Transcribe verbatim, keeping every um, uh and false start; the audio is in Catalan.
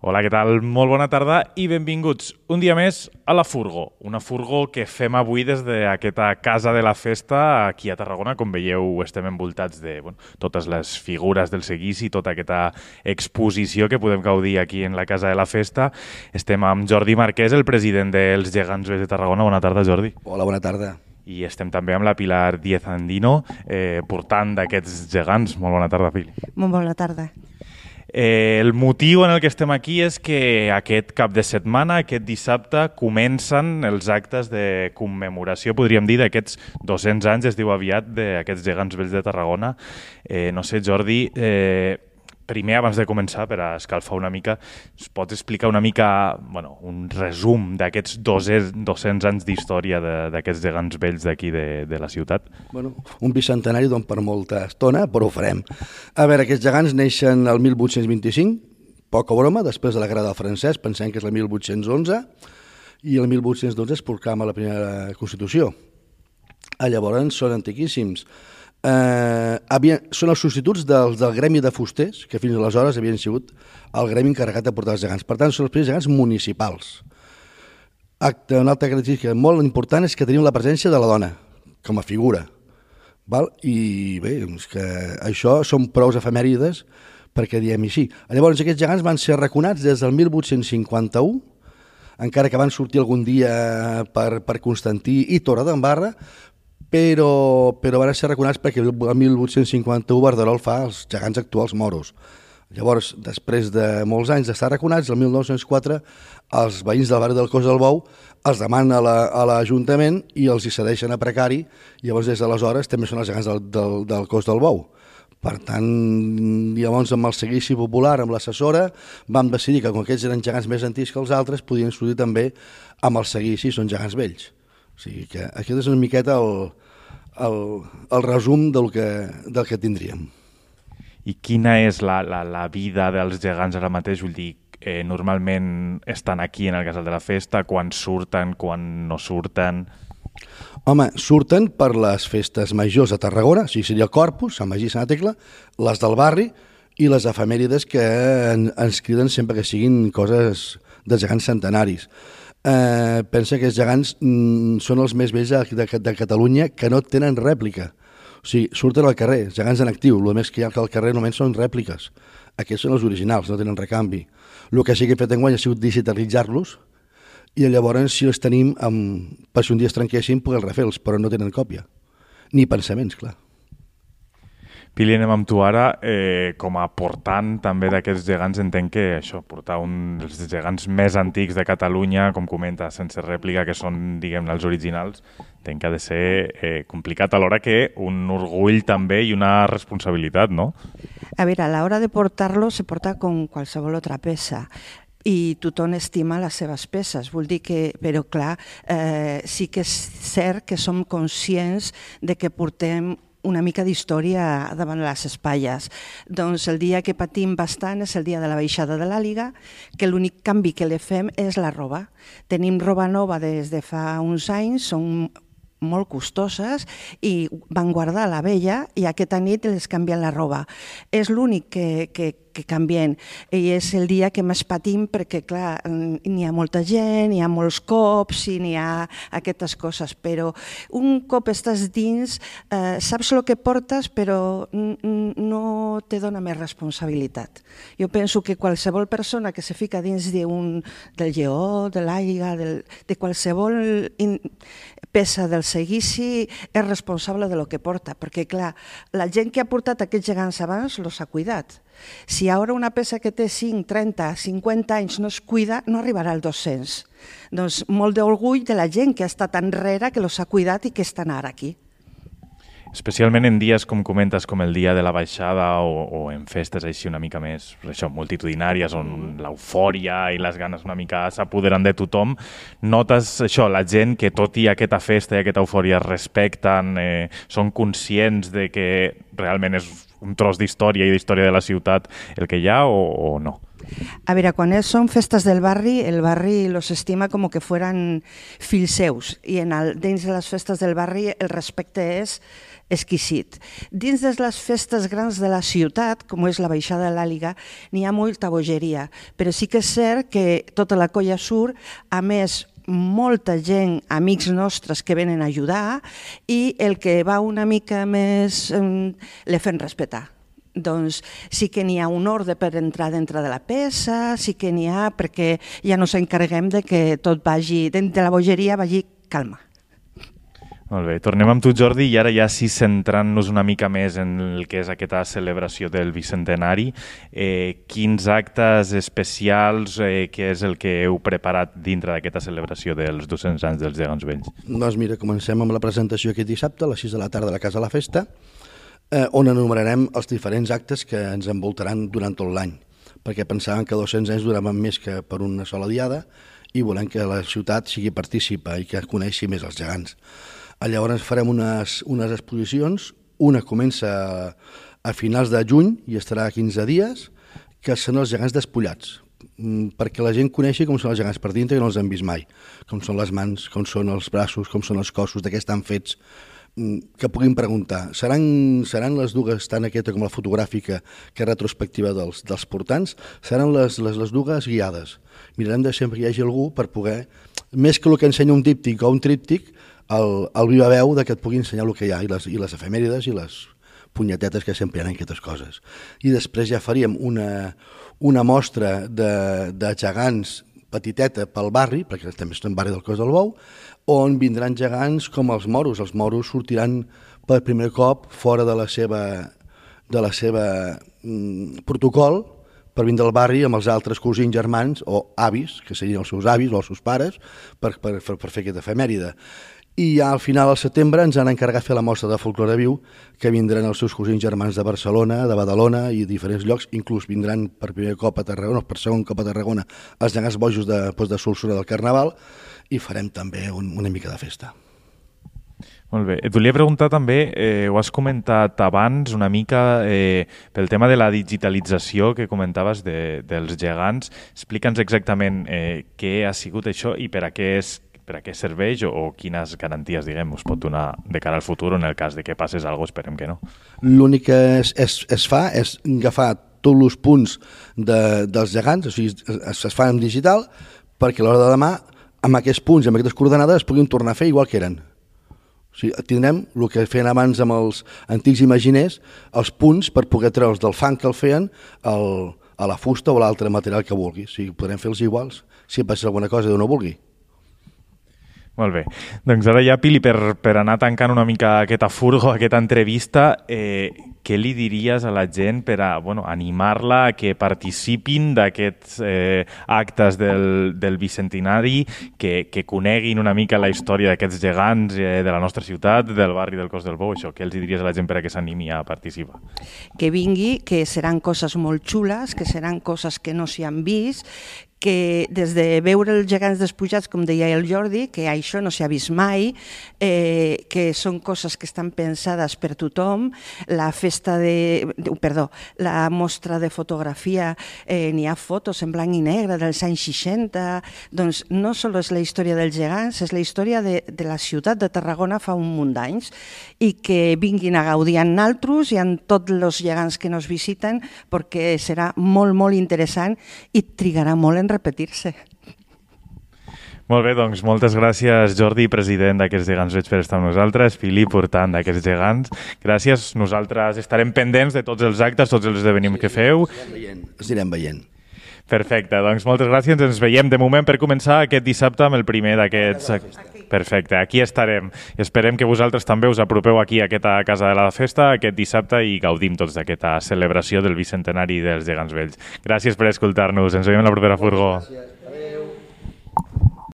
Hola, què tal? Molt bona tarda i benvinguts un dia més a La Furgo. Una furgo que fem avui des d'aquesta Casa de la Festa aquí a Tarragona. Com veieu, estem envoltats de bueno, totes les figures del seguici, tota aquesta exposició que podem gaudir aquí en la Casa de la Festa. Estem amb Jordi Marquès, el president dels Gegants Vells de Tarragona. Bona tarda, Jordi. Hola, bona tarda. I estem també amb la Pilar Díez Andino, eh, portant d'aquests gegants. Molt bona tarda, Pili. Molt bona tarda. Eh, el motiu en el que estem aquí és que aquest cap de setmana, aquest dissabte, comencen els actes de commemoració, podríem dir, d'aquests dos-cents anys, es diu aviat, d'aquests gegants vells de Tarragona. Eh, no sé, Jordi, eh, primer, abans de començar, per a escalfar una mica, es pots explicar una mica, bueno, un resum d'aquests dos-cents anys d'història d'aquests gegants vells d'aquí de, de la ciutat? Bueno, un bicentenari don per molta estona, però ho farem. A veure, aquests gegants neixen el mil vuit-cents vint-i-cinc, poca broma, després de la Guerra del Francès, pensem que és el mil vuit-cents onze, i el mil vuit-cents dotze es proclama la primera Constitució. A llavors són antiquíssims. Eh, havien, són els substituts dels, del gremi de fusters, que fins aleshores havien sigut el gremi encarregat de portar els gegants. Per tant, són els primers gegants municipals. Acte, una altra característica molt important és que tenim la presència de la dona, com a figura. Val? I bé, és que això són prous efemèrides perquè diem així. Llavors, aquests gegants van ser arraconats des del mil vuit-cents cinquanta-u, encara que van sortir algun dia per, per Constantí i Torredembarra, però, però van ser arraconats perquè el mil vuit-cents cinquanta-u Verderol fa els gegants actuals moros. Llavors, després de molts anys d'estar arraconats, el mil nou-cents quatre els veïns del barri del Cos del Bou els demanen a l'Ajuntament i els hi cedeixen a precari, i llavors des d'aleshores també són els gegants del, del, del Cos del Bou. Per tant, llavors amb el seguici popular, amb l'assessora, vam decidir que com aquests eren gegants més antics que els altres, podien sortir també amb el seguici, són gegants vells. O sigui que aquest és una miqueta el, el, el resum del que, del que tindríem. I quina és la, la, la vida dels gegants ara mateix? Vull dir, eh, normalment estan aquí en el Casal de la Festa, quan surten, quan no surten? Home, surten per les festes majors de Tarragona, o sigui, seria el Corpus, Sant Magí i Sant Tecla, les del barri i les efemèrides que en, ens criden sempre que siguin coses de gegants centenaris. Eh, pensa que els gegants mm, són els més vells de, de, de Catalunya que no tenen rèplica. O sigui, surten al carrer, gegants en actiu, el més que hi ha al carrer només són rèpliques. Aquests són els originals, no tenen recanvi. El que sí que he fet enguany ha sigut digitalitzar-los i llavors, si els tenim, amb, per si un dia es trenquessin, poder refer-los, però no tenen còpia. Ni pensaments, clar. Pili, anem amb tu ara. Eh, com a portant també d'aquests gegants, entenc que això, portar un dels gegants més antics de Catalunya, com comenta, sense rèplica, que són, diguem-ne, els originals, entenc que ha de ser eh, complicat, alhora que un orgull també i una responsabilitat, no? A veure, a l'hora de portar-lo se porta com qualsevol altra peça i tothom estima les seves peces. Vull dir que, però clar, eh, sí que és cert que som conscients de que portem una mica d'història davant les espatlles. Doncs el dia que patim bastant és el dia de la baixada de l'Àliga, que l'únic canvi que li fem és la roba. Tenim roba nova des de fa uns anys, són molt costoses i van guardar la vella i aquesta nit els canvien la roba. És l'únic que, que, que canvien i és el dia que més patim perquè, clar, n'hi ha molta gent, n'hi ha molts cops i n'hi ha aquestes coses, però un cop estàs dins, eh, saps el que portes però no te dona més responsabilitat. Jo penso que qualsevol persona que se fica dins d'un, del lleó, de l'àliga, de qualsevol in, peça del seguici és responsable de lo que porta, perquè clar, la gent que ha portat aquests gegants abans los ha cuidat. Si ara una peça que té cinc, trenta, cinquanta anys no es cuida, no arribarà al dos-cents. Doncs molt d'orgull de la gent que ha estat enrere, que los ha cuidat i que estan ara aquí. Especialment en dies, com comentes, com el dia de la baixada o, o en festes així una mica més això, multitudinàries, on l'eufòria i les ganes una mica s'apoderen de tothom, notes això, la gent que tot i aquesta festa i aquesta eufòria respecten, eh, són conscients de que realment és un tros d'història i d'història de la ciutat el que hi ha o, o no? A veure, quan són festes del barri, el barri los estima com que fueran fills seus i en el, dins de les festes del barri el respecte és exquisit. Dins de les festes grans de la ciutat, com és la baixada de l'Àliga, n'hi ha molta bogeria, però sí que és cert que tota la colla surt, a més molta gent, amics nostres que venen a ajudar i el que va una mica més eh, le fem respetar. Doncs sí que n'hi ha un ordre per entrar dintre de la peça, sí que n'hi ha perquè ja no s'encarreguem de que tot vagi, de la bogeria vagi calma. Molt bé, tornem amb tu, Jordi, i ara ja sí centrant-nos una mica més en el que és aquesta celebració del Bicentenari. Eh, quins actes especials, eh, què és el que heu preparat dintre d'aquesta celebració dels dos-cents anys dels Gegants Vells? Doncs mira, comencem amb la presentació aquest dissabte a les sis de la tarda a la Casa de la Festa, eh, on enumerarem els diferents actes que ens envoltaran durant tot l'any, perquè pensàvem que dos-cents anys duraven més que per una sola diada i volem que la ciutat sigui partícipa i que coneixi més els gegants. Llavors farem unes, unes exposicions, una comença a, a finals de juny i estarà quinze dies, que són els gegants despullats, perquè la gent coneixi com són els gegants per dintre i no els han vist mai, com són les mans, com són els braços, com són els cossos, de què estan fets, que puguin preguntar. Seran, seran les dues, tant aquesta com la fotogràfica, que és retrospectiva dels, dels portants, seran les, les, les dues guiades. Mirarem de sempre que hi hagi algú per poder, més que el que ensenya un díptic o un tríptic, el, el viva veu de que et pugui ensenyar el que hi ha, i les, i les efemèrides i les punyetetes que sempre hi ha en aquestes coses. I després ja faríem una, una mostra de, de gegants petiteta pel barri, perquè també estem barri del Cos del Bou, on vindran gegants com els moros. Els moros sortiran per primer cop fora de la seva, de la seva mm, protocol per vindre al barri amb els altres cosins germans o avis, que serien els seus avis o els seus pares, per, per, per, per fer aquesta efemèride. I ja al final del setembre ens han encarregat fer la mostra de folklore viu, que vindran els seus cosins germans de Barcelona, de Badalona i diferents llocs, inclús vindran per primer cop a Tarragona, per segon cop a Tarragona, els gegants bojos de, doncs, de Solsona del Carnaval, i farem també un, una mica de festa. Molt bé. Et volia preguntar també, eh, ho has comentat abans una mica, eh, pel tema de la digitalització que comentaves de, dels gegants. Explica'ns exactament eh, què ha sigut això i per a què és per a què serveix o, o quines garanties, diguem, us pot donar de cara al futur en el cas de que passés alguna cosa, esperem que no. L'únic que es, es, es fa és agafar tots els punts de, dels gegants, o sigui, es, es fa en digital, perquè a l'hora de demà, amb aquests punts i amb aquestes coordenades, es puguin tornar a fer igual que eren. O sigui, tindrem el que feien abans amb els antics imaginers, els punts per poder treure'ls del fang que el feien el, a la fusta o l'altre material que vulgui. O sigui, podrem fer-los iguals si passa alguna cosa de no vulgui. Molt bé. Doncs ara ja, Pili, per, per anar tancant una mica aquesta furgo, aquesta entrevista, eh, què li diries a la gent per a, bueno, animar-la a que participin d'aquests eh, actes del, del Bicentenari, que, que coneguin una mica la història d'aquests gegants eh, de la nostra ciutat, del barri del Cos del Bou, això? Què els diries a la gent per a que s'animi a participar? Que vingui, que seran coses molt xules, que seran coses que no s'hi han vist, que des de veure els gegants despujats, com deia el Jordi, que això no s'ha vist mai, eh, que són coses que estan pensades per tothom, la festa de... perdó, la mostra de fotografia, eh, n'hi ha fotos en blanc i negre dels anys seixanta, doncs no només és la història dels gegants, és la història de, de la ciutat de Tarragona fa un munt d'anys, i que vinguin a gaudir amb naltros i amb tots els gegants que nos visiten, perquè serà molt, molt interessant i trigarà molt en repetir-se. Molt bé, doncs moltes gràcies, Jordi, president d'aquests Gegants Vells, per estar amb nosaltres, Fili, portant d'aquests gegants. Gràcies, nosaltres estarem pendents de tots els actes, tots els esdeveniments que feu. Els anirem veient. Els anirem veient. Perfecte, doncs moltes gràcies, ens veiem de moment per començar aquest dissabte amb el primer d'aquests... Perfecte, aquí estarem. Esperem que vosaltres també us apropeu aquí a aquesta Casa de la Festa aquest dissabte i gaudim tots d'aquesta celebració del Bicentenari dels Gegants Vells. Gràcies per escoltar-nos, ens veiem a la propera furgó. Gràcies.